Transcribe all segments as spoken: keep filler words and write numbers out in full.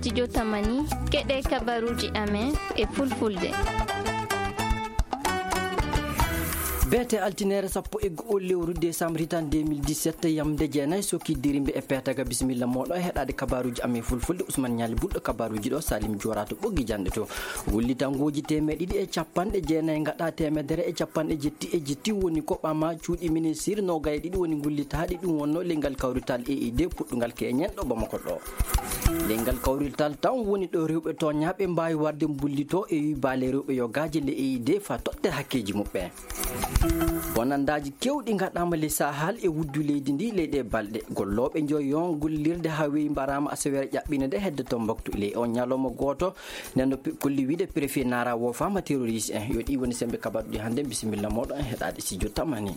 Studio Tamani, keɗee kabaruuji amen e fulfulde. Beete altineere sappo e go'o lewru desambre hitan deux mille dix-sept, yamde jeenay sokkidirimbe e peetaga. Bisimilla mooɗon e heɗaade kabaruuji amen fulfulde. Usman Ñaali Bulɗo kabaruuji ɗo, Salim Joora to ɓoggi janɗe to. Wullitangooji teemeɗe ɗiɗi e capanɗe jeenay ngaɗa teemedere e capanɗe jetti e jetti woni ko ɓama cuuɗi ministir noogay e ɗiɗi woni ngullitaaɗi. Ɗum wonno ley ngal kawrital E I D puɗɗungal keñen ɗo Bamako ɗo. Ley ngal kawrital tan woni ɗo rewɓe tooñaaɓe mbaawi warde mbullitoo e wii baale rewɓe yogaaji ley E I D faa totte hakkeeji muɓɓen. Bonandaaji keewɗi ngaɗaama ley Sahal e wuddu leydi ndi ley ɗee balɗe. Gollooɓe njoyon gollirde haa weyi mbaraama asaweere ƴaɓɓiinde nde hedde Tombouctou. Ley on ñalawma gooto, nden no pe-, kolli wiide préfet Nara woofaama terroriste en. Yo ɗi woni sembe kabaruɗi hannde. Bisimilla mooɗon e heɗaade studio Tamani.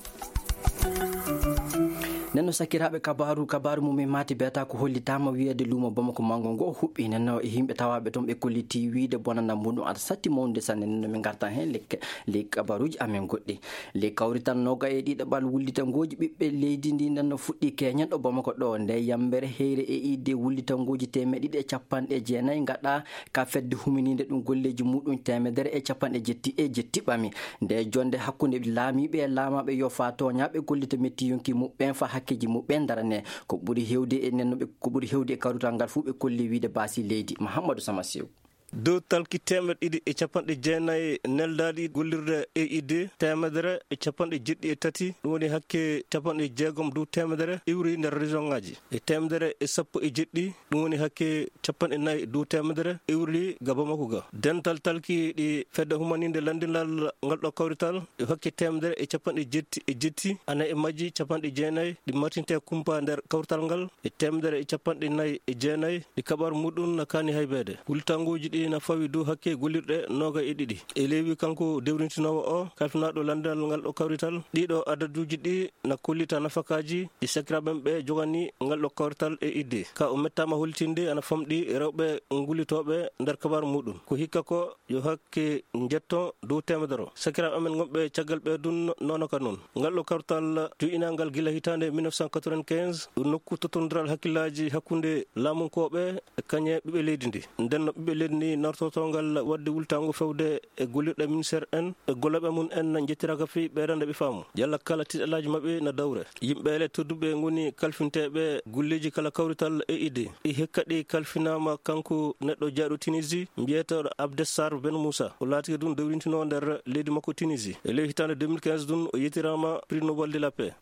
Nden no sakiraaɓe kabaaru, kabaaru mum en maati beeta ko hollitaama wiyeede luumo Bamako manngo ngo huɓɓi. Nden no e yimɓe tawaaɓe toon ɓe kollitii wiide bonanda muɗum aɗa satti mawnude sanne. Nden no min ngartan heen ley, ley kabaruuji amen goɗɗi. Ley kawrital nooga e ɗiɗaɓal wullitangooji ɓiɓɓe leydi ndi nden no fuɗɗi keñen ɗo Bamako ɗo. Nde yambere heyre E I D wullitangooji teemeɗe ɗiɗi e capanɗe jeenay ngaɗa ka fedde huminiinde ɗum golleeji muɗum teemedere e capanɗe jetti e jetti ɓami. Nde jonnde hakkunde laamiiɓe e laamaaɓe yo faa tooñaaɓe gollita metti yonki muɓɓen faa hakkeeji muɓɓen ndaranee. Ko ɓuri heewde e nen no ɓe, ko ɓuri heewde e kawrital ngal fuu ɓe kolli wiide baasi leydi. Mahammadu Sama Sew. Dow talki teemeɗe ɗiɗi e capanɗe jeenay neldaaɗi gollirde E I D, teemedere e capanɗe jeɗɗi e tati, ɗum woni hakke capanɗe jeegom dow teemedere iwri nder région ŋaaji. E teemedere e sappo e jeɗɗi, ɗum woni hakke capanɗe nayi dow teemedere iwri ga Bamako ga. Dental talki ɗi fedde humaniinde lanndinal ngal ɗo kawrital, e hakke teemedere e capanɗe jetti e jetti, ana e majji capanɗe jeenay ɗi martinte kumpa nder kawrital ngal, e teemedere e capanɗe nayi e jeenay ɗi kaɓar muɗum na kaani haybeede. Wultangooji ɗi na fawi dow hakke gollirɗe nooga e ɗiɗi. E leewi kanko dewrintinoowo o, kalfinaaɗo lanndinal ngal ɗo kawrital, ɗiɗo adaduuji ɗi na kollita nafakaaji ɗi sakiraaɓe ɓe jogani ngal ɗo kawrital E I D. Ka o mettaama hollitinde ana famɗi rewɓe ngullitooɓe nder kabaaru muɗum. Ko hikka ko yo hakke njetto dow teemedere. Sakiraaɓe amen gonɓe caggal ɓe dun noona ka non. Ngal ɗo kawrital jo'inaangal gila hitaande mille neuf cent quatre-vingt-quinze, ɗum nokku tottondiral hakkillaaji hakkunde laamunkooɓe e kañe ɓiɓɓe leydi ndi. Nden no ɓiɓɓe leydi ndi nartoto ngal waɗde wultaango fewde e gollirɗe ministeer en e gollooɓe mum en njettiraaka fii ɓeydande ɓe faamu. Yalla kala tiiɗalaaji maɓɓe na dawre. Yimɓe ele tedduɓe ngoni kalfinteeɓe golleeji kala kawrital E I D. Ɗi hikka ɗi kalfinaama kanko neɗɗo jeyɗo Tunisie, mbiyeteeɗo Abdessar Ben Moussa. O laatike ɗum dewrintinoo nder leydi makko Tunisie. E ley hitaande deux mille quinze ɗum, o yetiraama Prix Nobel de la Paix.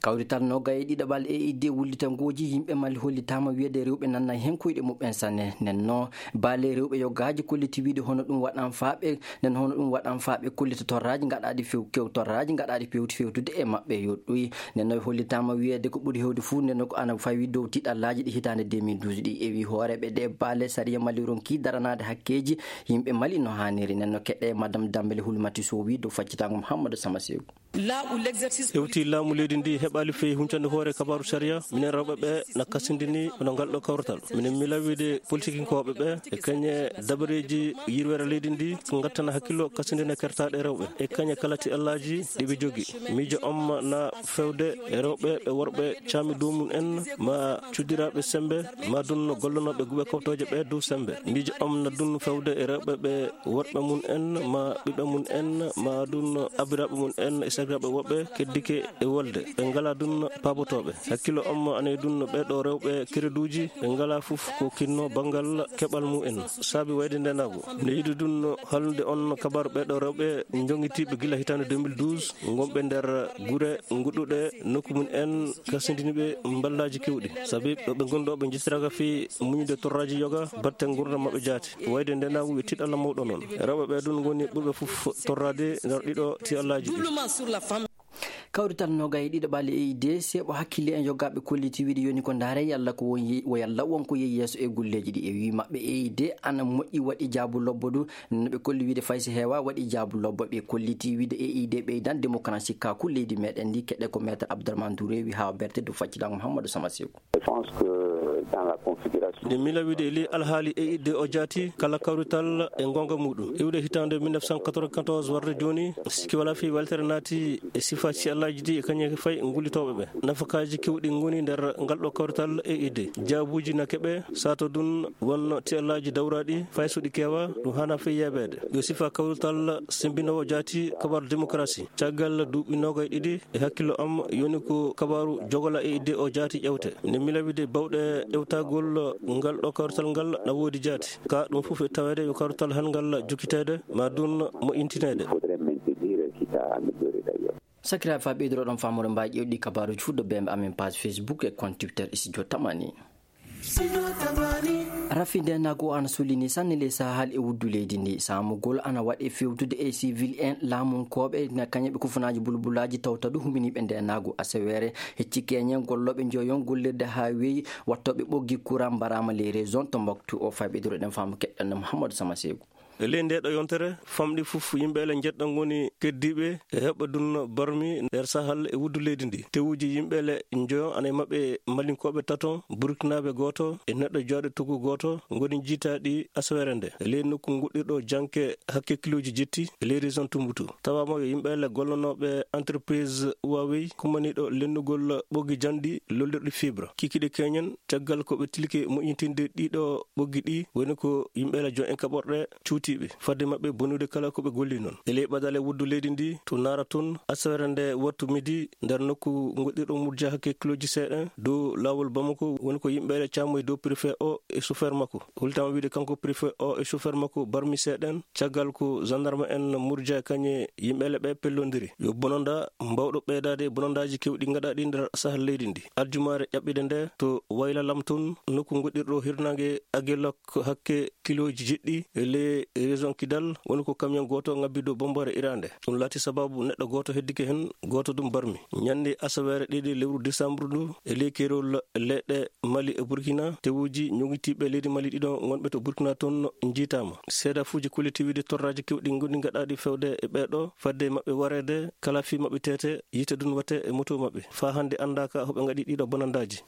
Kawrital noogay e ɗiɗaɓal E I D wullitangooji yimɓe Mali hollitaama wiyeede rewɓe nanna hen koyɗe muɓɓen sanne. Nden no baale rewɓe yogaaji kolliti wiide hono ɗum waɗan faa ɓe, nden hono ɗum waɗan faa ɓe kollita torraaji gaɗaaɗi few-, kew-, torraaji gaɗaaɗi fewti fewtude e maɓɓe yoɗɗuyi. Nden no hollitaama wiyeede ko ɓuri heewde fuu nden no ko ana fawi dow tiiɗallaaji ɗi hitaande deux mille douze ɗi ewi hooreeɓe ɗe baale sariya Mali ronki daranaade hakkeeji yimɓe Mali no haaniri. Nden no keɗɗe Madame Dambele Hulmati Sow wi dow faccitaango Mouhamadou Sama Sew. Hewti laamu leydi ndi heɓaali fey huncande hoore kabaaru sariya. Minen rewɓe ɓe na kasindini hono ngal ɗo kawrital. Minen miila wiide politikinkooɓe ɓe e kañe dabareeji yirweere leydi ndi ko ngattana hakkillo kasindina kertaaɗe rewɓe e kañe kala tiiɗallaaji ɗi ɓe jogi. Miijo am na fewde e rewɓe e worɓe caami dow mum en ma cuddiraaɓe sembe ma dun gollanooɓe guɓe kawtooje ɓe dow sembe. Miijo am na dun fewde e rewɓe ɓe worɓe mum en, ma ɓiɓɓe mum en, ma dun abiraaɓe mum en e sakiraaɓe woɓɓe keddike e wolde. Ɓe ngalaa dun paabotooɓe. Hakkillo am ana e dun ɓee ɗoo rewɓe kereduuji, ɓe ngalaa fof ko kinno banngal keɓal mum en. Saabi wayde ndeenaagu. Miɗo yiɗi dun halnude on kabaaru ɓee ɗoo rewɓe njongitiiɓe gila hitaande deux mille douze, ngonɓe nder gure ngoɗɗuɗe nokku mum en, kasindini ɓe mballaaji keewɗi. Sabi ɗo ɓe ngoni ɗo, ɓe njettiraaka fii muñude torraaji yoga batte ngurndan maɓɓe jaati. Wayde ndeenaagu yo tiiɗalla mawɗo non. Rewɓe ɓee ɗun ngoni ɓurɓe fof torraade nder ɗiɗo tiiɗallaaji ɗi. Kawrital noogay e ɗiɗaɓal E I D, seeɓo hakkille en yogaaɓe kolliti wiide yoni ko ndaare yalla ko won ye-, wo yalla won ko yehi yeeso e golleeji ɗi. E wii maɓɓe E I D ana moƴƴi waɗi jaabu lobbo du. No ɓe kolli wiide fay si heewaa waɗi jaabu lobbo. Ɓe kolliti wiide E I D ɓeydan démocratie ka ku leydi meɗen ndi. Keɗɗe ko Maître Abdourahmane Touré wi haa o berte dow faccitango Mouhamadou Sama Seku. Je pense que dans la configuration. Nde miila wiide e ley alhaali E I D o jaati kala kawrital e ngonga muɗum. Iwde hitaande mille neuf cent quatre-vingt-quatorze warde jooni, sikki walaa fii weltere naati e sifaaji Ajidi e kañe fay ngullitooɓe ɓe. Nafakaaji keewɗi ngoni nder ngal ɗo kawrital e idde. Jaabuuji na keɓe, sato ɗun won tiyallaaji dawraaɗi fay so ɗi keewaa, ɗum haanaa fey yeebeede. Yo sifa kawrital sembinoowo jaati kabaaru demokarasi. Caggal duuɓi noogay ɗiɗi e hakkillo am yoni ko kabaaru jogola e idde o jaati ƴewte. Nde miila wiide bawɗe ƴewtagol ngal ɗo kawrital ngal na woodi jaati. Ka ɗum fof e taweede yo kawrital hanngal jokkiteede, ma ɗum moƴƴintineede. Sakiraaɓe, faa ɓeydoɗon faamude mbaaji ƴeewɗi kabaaruuji fuu ɗo bee amen page Facebook e compte Twitter Studio Tamani. Rafi ndeenaagu o ana sullini sanne ley sahal e wuddu leydi ndi. Saamugol ana waɗe fewtude e civil en laamunkooɓe na kañe ɓe kufunaaji bulbulaaji tawta ɗum huminiiɓe ndeenaagu aseweere. Hecci keñen gollooɓe njoyon gollirde haa weyi wattooɓe ɓoggi kuran mbaraama ley région Tombouctou o. Faa ɓeydoɗen faamu keɗɗen Mouhamadou Sama Seeku. E ley ndee ɗoo yontere, famɗi fof yimɓe ele njeɗɗa ngoni keddiiɓe e heɓɓe ɗun barmi nder sahal e wuddu leydi ndi. Tewuuji yimɓe ele njoyo ana e maɓɓe malinkooɓe tato, burkinaaɓe gooto e neɗɗo jooɗo tugu gooto ngoni njiitaaɗi asaweere nde. E ley nokku nguɗɗirɗo janke hakke kilooji jetti e ley région Tumbouctou. Tawaama yo yimɓe ele gollanooɓe entreprise Huawei kummaniiɗo lennugol ɓoggi janɗi lollirɗi fibre. Kikiiɗe keñen caggal ko ɓe tilike moƴƴintinde ɗiɗo ɓoggi ɗi woni ko yimɓe ele jon en kaɓorɗe cuutiiɓe fadde maɓɓe bonude kala ko ɓe golli non. E ley ɓadale wuddu leydi ndi to Nara tun, asaweere nde wattu midi nder nokku ngoɗɗirɗo murja hakke kilooji seeɗen dow laawol Bamako woni ko yimɓe ele caamoyi dow préfet o e chauffeur makko. Hultama wiide kanko préfet o e chauffeur makko barmi seeɗen caggal ko gendarme en murja kañe yimɓe ele ɓe pellondiri. Yo bononda mbawɗo ɓeydaade e bonondaaji keewɗi ngaɗaaɗi nder sahal leydi ndi. Aljumaare ƴaɓɓiinde nde to Wayla Lam tun, nokku ngoɗɗirɗo hirnaange Aguelhok hakke kilooji jeɗɗi e ley région Kidal, woni ko kamiyon gooto ŋabbi dow bombore iraande. Ɗum laati sababu neɗɗo gooto heddike hen, gooto ɗum barmi. Ñannde asaweere ɗiɗi lewru desambru ndu, e ley keerol leyɗe Mali e Burkina, tewuuji ñoŋitiiɓe leydi Mali ɗiɗo ngonɓe to Burkina toon njiitaama. Seedafuuji kolliti wiide torraaji keewɗi ngoni ngaɗaaɗi fewde e ɓee ɗoo, fadde maɓɓe wareede, kala fii maɓɓe teete, yiite ɗum waɗte e moto maɓɓe. Faa hannde anndaaka hoɓe ngaɗi ɗiɗo bonandaaji.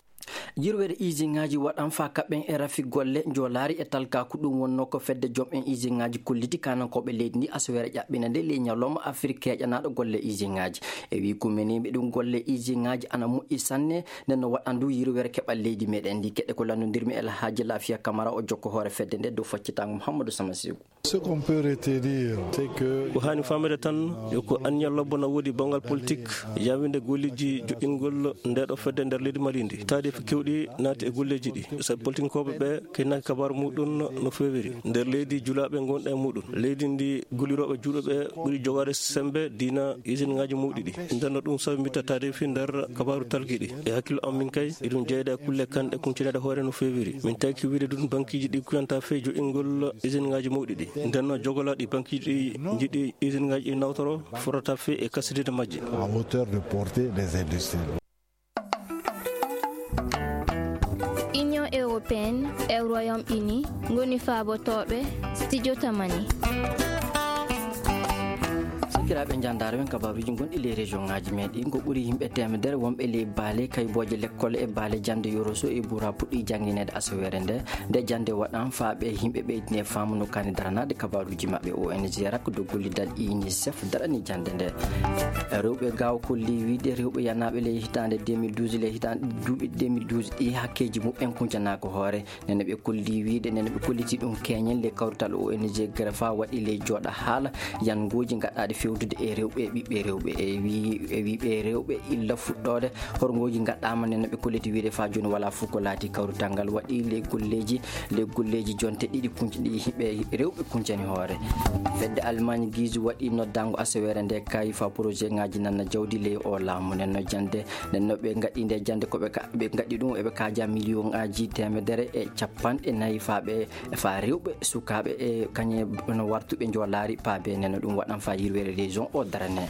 Yirwere iisiŋaaji waɗan faa kaɓɓen e rafi golle njoolaari e talkaaku. Ɗum wonnoo ko fedde jom en iisiŋaaji kolliti kaanankooɓe leydi ndi asaweere ƴaɓɓiinde nde ley ñalawma Afrik keeƴanaaɗo golle iisiŋaaji. E wii kumeniiɓe ɗum golle iisiŋaaji ana moƴƴi sanne, nden no waɗan du yirwere keɓal leydi meɗen ndi. Keɗe ko lanndondirmi El Hadji Lafia Camara o jokko hoore fedde nde dow faccitaango Mouhamadou Sama Seeku. Ce qu'on peut retenir, c'est que ko haani faamede tan, yo ko anniya lobbo na woodi banngal politik, yaawinde golleeji joƴƴingol ndeeɗo fedde nder leydi Mali ndi. Taariifi keewɗi naati e golleeji ɗi, sabi politinkooɓe ɓe kaynaaki kabaaru muɗum no feewiri. Nder leydi julaaɓe ngonɗa e muɗum. Leydi ndi gullirooɓe juulɓe ɓe ɓuri jogaade semmbe diina isinŋaaji mawɗi ɗi. Nden no ɗum sabi mbitta taariifi nder kabaaru talki ɗi. E hakkillo am min kay, iɗum jeyda e kulle kanɗe kuncanaade hoore no feewiri. Min taki wiide ɗum bankiiji ɗi kuyantaa fey joƴƴingol isinŋaaji mawɗi ɗi. Nden no jogolaaɗi bankiiji ɗi njiɗi isinŋaaji ɗi nawtoro fotata fey e kasidinde majji. À hauteur de portée des industries. Union européenne e Royaume-Uni ngoni faabotooɓe Studio Tamani. Sakiraaɓe, njaandaare men kabaaruuji gonɗi ley région-ŋaaji meɗen. Ko ɓuri yimɓe teemedere wonɓe ley baale kaybooje lekkol e baale jannde Yoroso e Bura puɗɗii janngineede asaweere nde. Nde jannde waɗan faa ɓe yimɓe ɓeydinee faamu no kaani daranaade kabaaruuji maɓɓe. O N G rakkuɗo gollidal UNICEF darani jannde nde. Rewɓe Gaawo kollii wiide rewɓe yanaaɓe ley hitaande deux mille douze, ley hitaande duuɓi deux mille douze ɗi, hakkeeji muɓɓen kuncanaaka hoore. Nden no ɓe kollii wiide, nden no ɓe kolliti ɗum keeñen ley kawrital O N G Grefa waɗi ley jooɗa haala yangooji gaɗaaɗi fewtude e rewɓe e ɓiɓɓe rewɓe. E wii, e wii ɓe rewɓe illa fuɗɗoode horngooji gaɗaama, nden no ɓe kolliti wiide faa jooni walaa fof ko laati kawrital ngal waɗi ley golleeji, ley golleeji jonte ɗiɗi kunc-, ɗi yimɓe rewɓe kuncani hoore. Fedde Almaañ Giz waɗi noddaango asaweere nde kay faa projet ŋaaji nanna jawdi ley o laamu. Nden no jannde, nden no ɓe ngaɗi nde jannde ko ɓe ka-, ɓe ngaɗi ɗum, eɓe kaaja miliyoŋaaji teemedere e capanɗe nayi faa ɓe, faa rewɓe, sukaaɓe e kañe no wartuɓe njoolaari paabe. Nden no ɗum waɗan faa yirwere région o darane.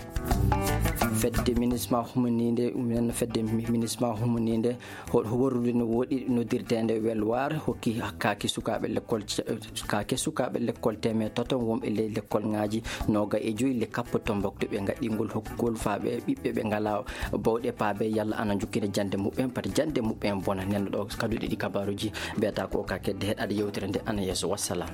Fedde MINUSMA humaniinde, nden no fedde mi-, MINUSMA humaniinde Ho-, ho worrude no woɗɗi noddirteende Welwaar hokki kaake sukaaɓe lekkol ce-, kaake sukaaɓe lekkol teemedere tato wonɓe ley lekkolŋaaji noogay e joy ley kappo Tombouctou ɓe ngaɗɗingol hokkugol faa ɓe ɓiɓɓe ɓe ngalaa bawɗe paabe yalla ana njokkina jannde muɓɓen, pati jannde muɓɓen bona. Nden no ɗo kaduɗe ɗi kabaaruuji mbiyata ko ka kedde heɗaade yewtere nde ana yeeso. Wassalam.